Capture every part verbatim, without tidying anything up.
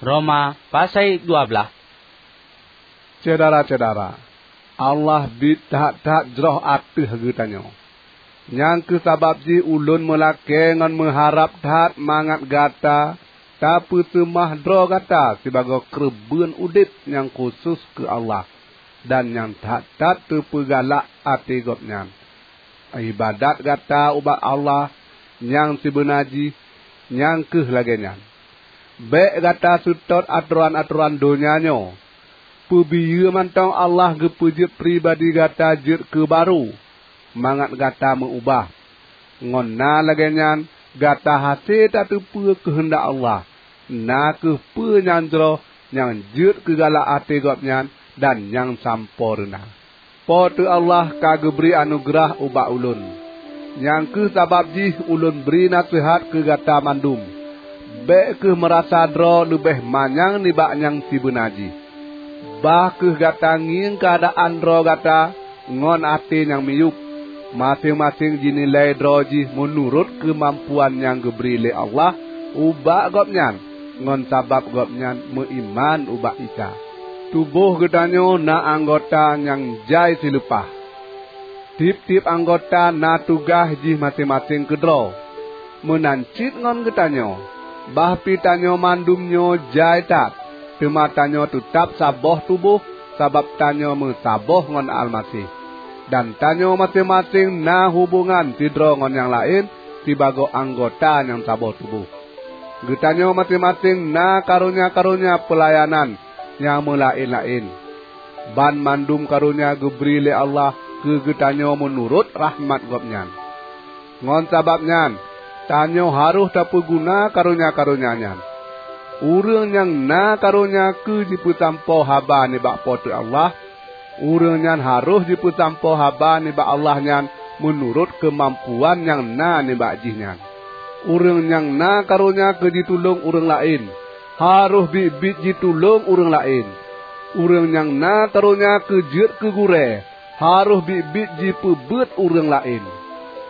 Roma pasai dua blaih. Syedara-syedara, Allah biet that-that jroh ateueh geutanyoe. Nyang kheueh sabab jih ulôn meulakée ngon meuharab that mangat gata tapeuseumah droe gata sibagoe keureubeuen udeb nyang khusos keu Allah, dan nyang that-that teupeugalak até Gobnyan. Iébadat gata ubak Allah nyang sibeuna jih nyang kheueh lagée nyan. Bék gata seutôt atoran-atoran donya nyoe. Peubiyeu mantong Allah geupeujeuet pribadi gata jeuet keu barô, mangat gata meu-ubah. Ngon na lagée nyan, gata hase tateupeue keuheundak Allah, na kheueh peue nyang jroh, nyang jeuet keu galak até Gobnyan, dan nyang sampoe reuna. Po teu Allah ka geubri anugeurah ubak ulôn. Nyang kheueh sabab jih ulôn bri naseuhat keu gata mandum. Bék kheueh meurasa droe leubeh manyang nibak nyang sibeuna jih. Bah kheueh gata ngieng keuadaan droe gata ngon até nyang miyueb. Maséng-maséng jinilai droe jih meunurot keumampuan nyang geubri lé Allah ubak gobnyan, ngon sabab gobnyan meuiman ubak Isa. Tuboh geutanyoe na anggota nyang jai sileupah. Tieb-tieb anggota na tugaih jih maséng-maséng keudroe. Meunan cit ngon geutanyoe, bah pi tanyoe mandum nyoe jai that, teuma tanyoe teutab saboh tuboh, sabab tanyoe meusaboh ngon Almaseh. Dan tanyoe maséng-maséng na hubongan sidroe ngon nyang laén sibagoe anggota nyang saboh tuboh. Geutanyoe maséng-maséng na karonya-karonya peulayanan nyang meulaén-laén. Banmandum karonya geubri lé Allah keu geutanyoe meunurot rahmat Gobnyan. Ngon sabab nyan, tanyoe harôh tapeuguna karonya-karonya nyan. Ureuëng nyang na karonya keu jipeusampoe haba nibak Po teu Allah, ureuëng nyan harôh jipeusampoe haba nibak Allah nyan meunurot keumampuan nyang na nibak jih nyan. Ureuëng nyang na karonya keu jitulông ureuëng laén, harôh biet-biet jitulông ureuëng laén. Ureuëng nyang na karonya keu jeuet keu gurée, harôh biet-biet jipeubeuet ureuëng laén.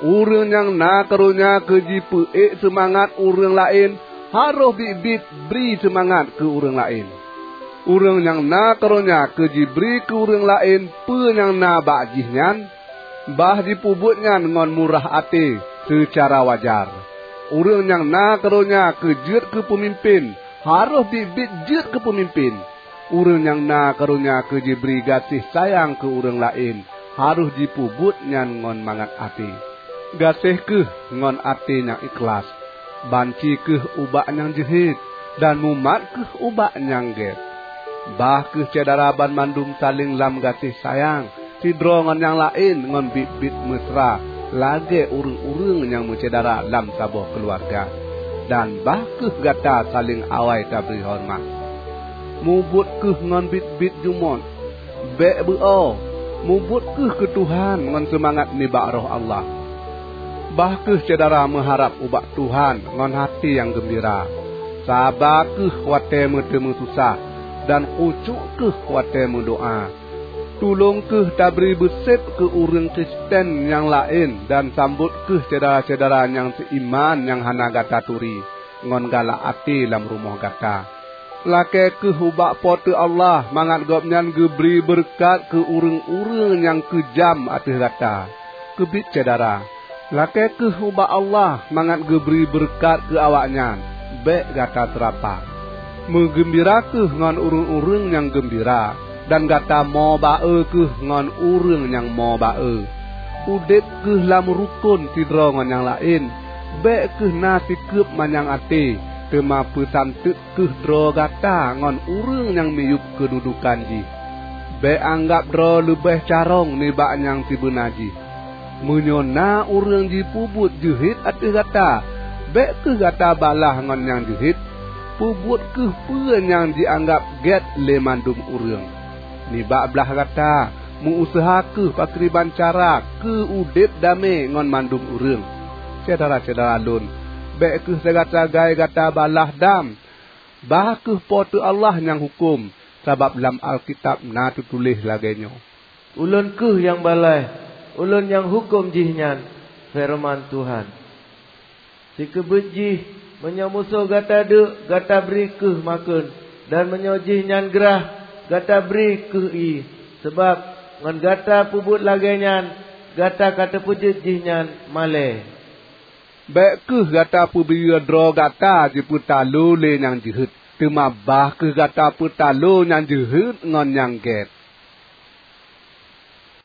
Ureuëng nyang na karonya keu jipeuék seumangat ureuëng laén, harôh biet-biet bri seumangat keu ureuëng laén. Ureuëng nyang na karonya keu jibri keu ureuëng laén peue nyang na bak jih nyan, bah jipeubuet nyan ngon murah até seucara wajar. Ureuëng nyang na karonya keu jeuet keu peumimpén, harôh biet-biet jeuet keu peumimpén. Ureuëng nyang na karonya keu jibri gaséh sayang keu ureuëng laén, harôh jipeubuet nyan ngon mangat até. Gaséh kheueh ngon até nyang ikhlaih. Banci kheueh ubak nyang jeuhet, dan mumat kheueh ubak nyang gét. Bah kheueh syedara banmandum saléng lam gaséh sayang, sidroe ngon nyang laén ngon biet-biet meusra lagée ureuëng-ureuëng nyang meusyedara lam saboh keuluwarga. Dan bah kheueh gata saléng awai tabri horeumat. Mubuet kheueh ngon biet-biet jumôt. Bék beu-o, mubuet kheueh keu Tuhan ngon seumangat nibak Roh Allah. Bah kheueh syedara meuharab ubak Tuhan ngon até nyang geumbira. Saba kheueh watée meuteumé susah, dan khusyuk kheueh watée meudoá. Tulông kheueh tabri beusép keu ureuëng Kristen nyang laén, dan sambot kheueh syedara-syedara nyang seuiman nyang hana gata turi, ngon galak até lam rumoh gata. Lakée kheueh ubak Po teu Allah mangat Gobnyan geubri beureukat keu ureuëng-ureuëng nyang keujam ateueh gata. Keubiet syedara, lakée kheueh ubak Allah mangat geubri beureukat keu awaknyan, bék gata seurapa. Meugeumbira kheueh ngon ureuëng-ureuëng nyang geumbira, dan gata mo ba-e kheueh ngon ureuëng nyang mo ba-e. Udeb kheueh lam rukon sidroe ngon nyang laén. Bék kheueh na sikeueb manyang até, teuma peusanteuk kheueh droe gata ngon ureuëng nyang miyueb keududukan jih. Bék anggab droe leubeh carông nibak nyang sibeuna jih. Meunyoe na ureuëng jipeubuet jeuhet ateueh gata, bék kheueh gata balaih ngon nyang jeuhet. Peubuet kheueh peue nyang jianggab gét lé mandum ureuëng. Nibak blaih gata, meu-useuha kheueh pakriban cara keu udeb damé ngon mandum ureuëng. Syedara-syedara lôn, bék kheueh sagai-sagai gata balaih dam. Bah kheueh Po teu Allah nyang huköm, sabab lam Alkitab na teutuléh lagée nyoe, "Ulôn kheueh nyang balaih, Ulôn nyang huköm jih nyan," feureuman Tuhan. Sikeubeuet jih, meunyoe musoh gata deuk, gata bri kheueh makheun. Dan meunyoe jihnyan grah, gata bri kheueh ié, sabab ngon gata peubuet lagée nyan, gata ka tapeujeuet jihnyan malée. Bék kheueh gata peubiyeu droe gata jipeutalo lé nyang jeuhet, teuma bah kheueh gata peutalo nyang jeuhet ngon nyang gét.